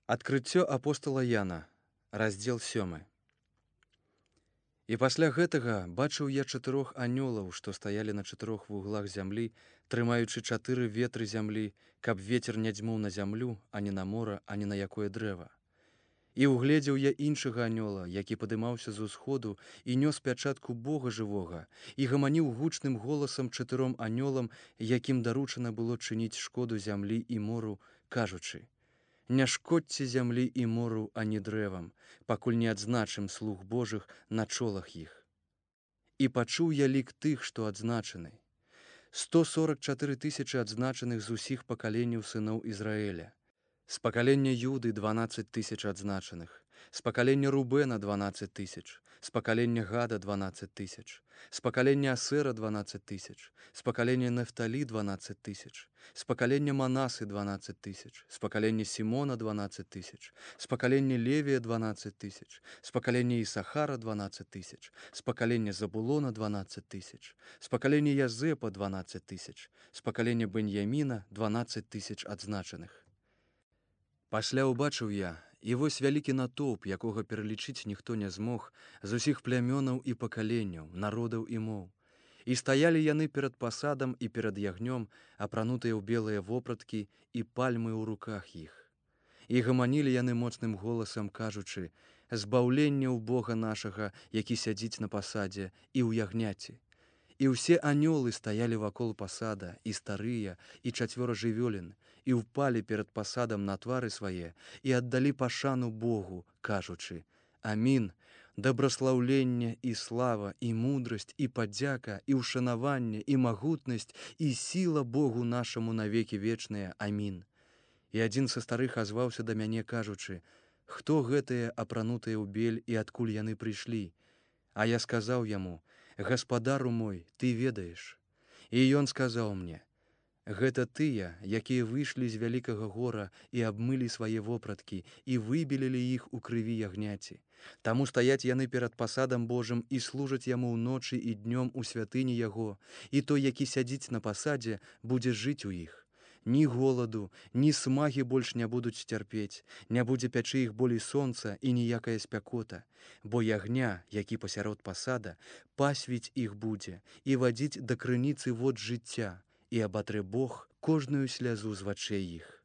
Адкрыццё апостала Яна, раздзел 7. І пасля гэтага бачыў я 4 анёлаў, што стаялі на 4 вуглах зямлі, трымаючы 4 ветры зямлі, каб вецер не дзьмуў на зямлю, ані на мора, ані на якое дрэва. І ўгледзеў я іншага анёла, які падымаўся з усходу і нёс пячатку Бога жывога, і гаманіў гучным голасам 4 анёлам, якім даручана было чыніць шкоду зямлі і мору, кажучы: «Не шкодзьце зямлі і мору, ані дрэвам, пакуль не адзначым слуг Божых на чолах іх». І пачуў я лік тых, што адзначаны. 144 000 адзначаных з усіх пакаленняў сыноў Ізраэля. З пакалення Юды 12 000 адзначаных, з пакалення Рубена 12 000, з пакалення Гада 12 000, з пакалення Асера 12 000, з пакалення Нефталі 12 000, з пакалення Манасы 12 000, з пакалення Сімона 12 000, з пакалення Левія 12 000, з пакалення Ісахара 12 000, з пакалення Забулона 12 000, з пакалення Язэпа 12 000, з пакалення Беньяміна 12 000 адзначаных. Пасля ўбачыў я, і вось вялікі натоўп, якога пералічыць ніхто не змог, з усіх плямёнаў і пакаленняў, народаў і моў. І стаялі яны перад пасадам і перад ягнём, апранутыя ў белыя вопраткі і пальмы ў руках іх. І гаманілі яны моцным голасам, кажучы: «Збаўленне ў Бога нашага, які сядзіць на пасадзе, і ў ягняці». І ўсе анёлы стаялі вакол пасада, і старыя, і 4 жывёлін, і ўпалі перад пасадам на твары свае, і аддалі пашану Богу, кажучы: «Амін, дабраслаўленне і слава, і мудрасць, і падзяка, і ўшанаванне, і магутнасць, і сіла Богу нашаму навекі вечныя. Амін». І адзін са старых азваўся да мяне, кажучы: «Хто гэтыя апранутыя ў бель і адкуль яны прыйшлі?» А я сказаў яму: «Гаспадару мой, ты ведаеш». І ён сказаў мне: «Гэта тыя, якія выйшлі з вялікага гора і абмылі свае вопраткі і выбелілі іх у крыві ягняці. Таму стаяць яны перад пасадам Божым і служаць яму ўночы і днём у святыні яго, і той, які сядзіць на пасадзе, будзе жыць у іх. Ні голаду, ні смагі больш не будуць цярпець, не будзе пячы іх болей сонца і ніякая спякота, бо ягня, які пасярод пасада, пасвіць іх будзе і вадзіць да крыніцы вод жыцця, і абатрэ Бог кожную слязу з вачэй іх».